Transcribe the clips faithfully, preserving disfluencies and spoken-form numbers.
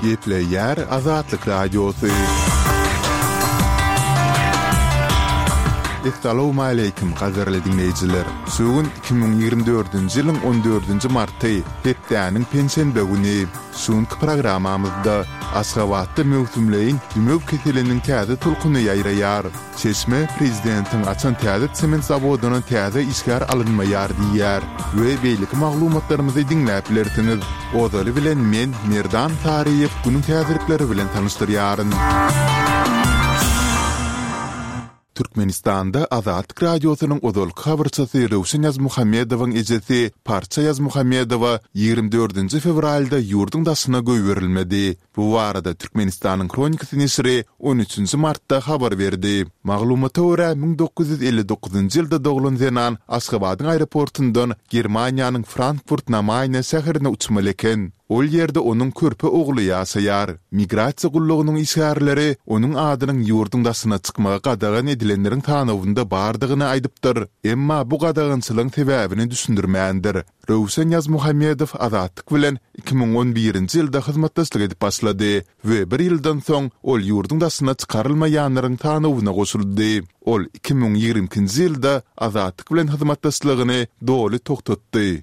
Gepleýär Azatlyk Radiosy. Essalawmaleýkim, gadyrly diňleýjiler! Şu gün iki müň ýigrimi dördünji ýylyň on dördünji marty, hepdäniň penşenbe güni. Şu günki programmamyzda Aşgabatda möwsümleýin dümew keseliniň täze tolkuny ýaýraýar. Çeşme prezidentiň açan täze sement zawodyna täze işgär alynmaýar diýýär we beýleki maglumatlarymyzy diňläp bilersiňiz. Ozaly bilen men, Merdan Saryýew günüň täzelikleri bilen tanyşdyrýaryn. Türkmenistanda Azatlyk Radiosynyň ozalky habarçysy Röwşen Ýazmuhammedowyň ejesi Parça Ýazmuhammedowa ýigrimi dördünji fewralda ýurduň daşyna goýberilmedi. Bu barada Türkmenistanyň Hronikasy neşiri on üçünji martda habar berdi. Maglumata görä, müň dokuz ýüz elli dokuzynjy ýylda doglan zenan Aşgabadyň aeroportundan Germaniýanyň Frankfurt-na-Maýne şäherine uçmaly eken. Ol ýerde onuň körpe ogly ýaşaýar. Migrasiýa gullugynyň işgärleri onuň adynyň ýurduň daşyna çykmagy gadagan edilenleriň sanawynda bardygyny aýdypdyr, emma bu gadagançylygyň sebäbini düşündirmändir. Röwşen Ýazmuhammedow Azatlyk bilen iki müň on birinji ýylda hyzmatdaşlyk edip başlady we bir ýyldan soň ol ýurduň daşyna çykarylmaýanlaryň sanawyna goşuldy. Ol iki müň ýigrimi ikinji ýylda Azatlyk bilen hyzmatdaşlygyny doly togtatdy.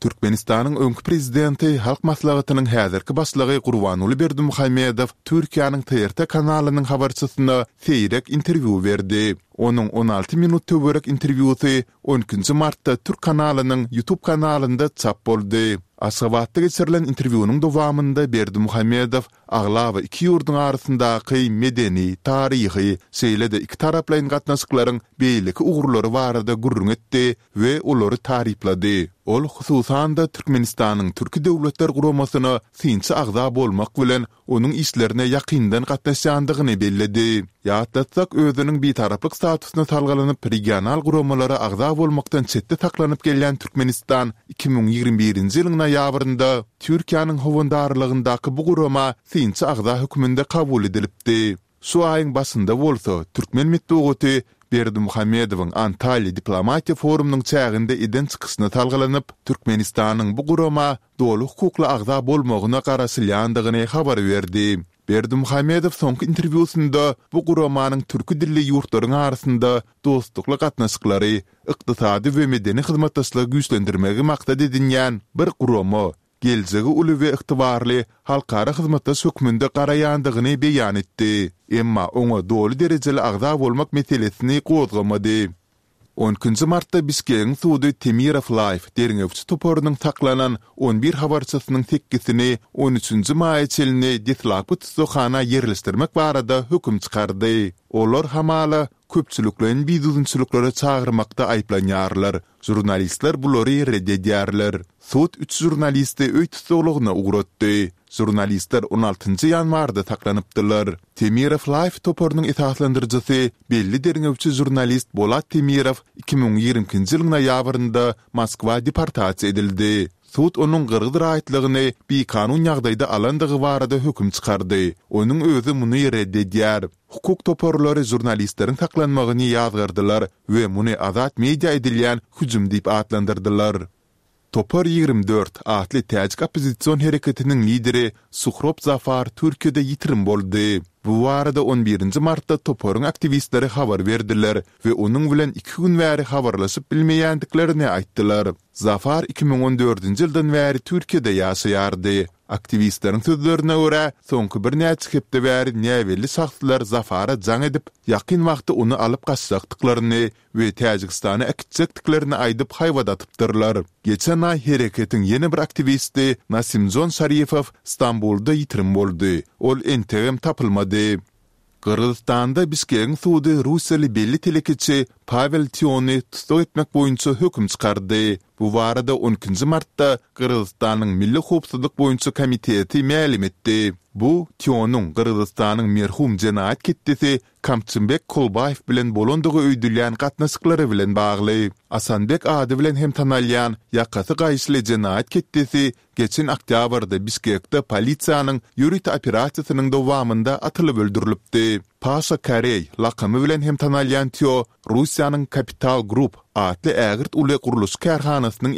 Türkmenistanyň öňki prezidenti, Halk Maslahatynyň häzirki başlygy Gurbanguly Berdimuhamedow Türkiýäniň T R T kanalynyň habarçysyna seýrek interwýu berdi. Onuň on alty minut töwerek interwýusy on ikinji martda türk kanalynyň YouTube kanalynda çap boldy. Aşgabatda geçirilen interwýunyň dowamynda Berdimuhamedow aglaba iki ýurduň arasyndaky medeni, taryhy, şeýle-de ikitaraplaýyn gatnaşyklaryň beýleki ugurlary barada gürrüň etdi we olary taryplady. Ol, hususan-da, Türkmenistanyň Türki Döwletler Guramasyna synçy agza bolmak bilen, onuň işlerine ýakyndan gatnaşýandygyny belledi. Ýatlatsak, özüniň bitaraplyk statusyna salgylanyp, regional guramalara agza bolmakdan çetde saklanyp gelýän Türkmenistan iki müň ýigrimi birinji ýylyň noýabrynda Türkiýäniň howandarlygyndaky bu gurama synçy agza hökmünde kabul edilipdi. Şu aýyň başynda bolsa, türkmen metbugaty Berdimuhamedowyň Antalýa diplomatiýa forumynyň çäginde eden çykyşyna salgylanyp, Türkmenistanyň bu gurama doly hukukly agza bolmagyna garaşylýandygyny habar berdi. Berdimuhamedow soňky interwýusynda bu guramanyň türki dilli ýurtlaryň arasynda dostlukly gatnaşyklary, ykdysady we medeni hyzmatdaşlygy güýçlendirmegi maksat edinýän bir gurama, geljegi uly we ygtybarly halkara hyzmatdaş hökmünde garaýandygyny beýan etdi. Emma oňa doly derejeli agza bolmak meselesini gozgamady. On ikinji martda Bişkegiň sudy Temirow Life derňewçi toparynyň saklanan on bir habarçysynyň sekgisini on üçünji maýa çenli deslapky tussaghana ýerleşdirmek barada höküm çykardy. Olar hamala köpçülikleýin bidüzgünçiliklere çagyrmakda aýyplanýarlar. Žurnalistler bulary ret edýärler. Sud üç žurnalisti öý tussaglygyna ugratdy. Žurnalistler on altynjy ýanwarda saklanypdylar. Temirow Life toparynyň esaslandyryjysy, belli derňewçi žurnalist Bolat Temirow iki müň ýigrimi ikinji ýylyň noýabrynda Moskwa deportasiýa edildi. Sud onuň gyrgyz raýatlygyny bikanun ýagdaýda alandygy barada höküm çykardy. Onuň özi muny ret edýär. Hukuk toparlary žurnalistleriň saklanmagyny ýazgardylar we muny azat media edilýän hüjüm diýip atlandyrdylar. Topar ýigrimi dört atly täjik oppozision hereketiniň lideri Suhrob Zafar Türkiýede ýitirim boldy. Bu barada on birinji martda toparyň aktiwistleri habar berdiler we onuň bilen iki gün bäri habarlaşyp bilmeýändiklerini aýtdylar. Zafar iki müň on dördünji ýyldan bäri Türkiýede ýaşaýardy. Aktiwistleriň sözlerine görä, soňky birnäçe hepde bäri näbelli şahslar Zafara jaň edip, ýakyn wagtda ony alyp gaçjakdyklaryny we Täjigistana äkitjekdiklerini aýdyp haýbat atypdyrlar. Geçen aý hereketiň ýene bir aktiwisti Nasimjon Şarifow Stambulda ýitirim boldy. Ol entegem tapylmady. Gyrgyzystanda Bişkegiň sudy russiýaly belli telekeçi Pawel Týony tussag etmek boýunça höküm çykardy. Bu barada on ikinji martda Gyrgyzystanyň Milli howpsuzlyk boýunça komiteti mälim etdi. Bu, Týonyň Gyrgyzystanyň merhum jenaýat ketdesi Kamçybek Kolbaýew bilen bolandygy öýdülýän gatnaşyklary bilen bagly. Asanbek ady bilen hem tanalýan ýakasy gaýyşly jenaýat ketdesi geçen oktýabrda Bişkekde polisiýanyň ýörite operasiýasynyň dowamynda atylyp öldürilipdi. Paşa Koreý lakamy bilen hem tanalýan Týo Russiýanyň Capital Group atly ägirt uly gurluşyk kärhanasynyň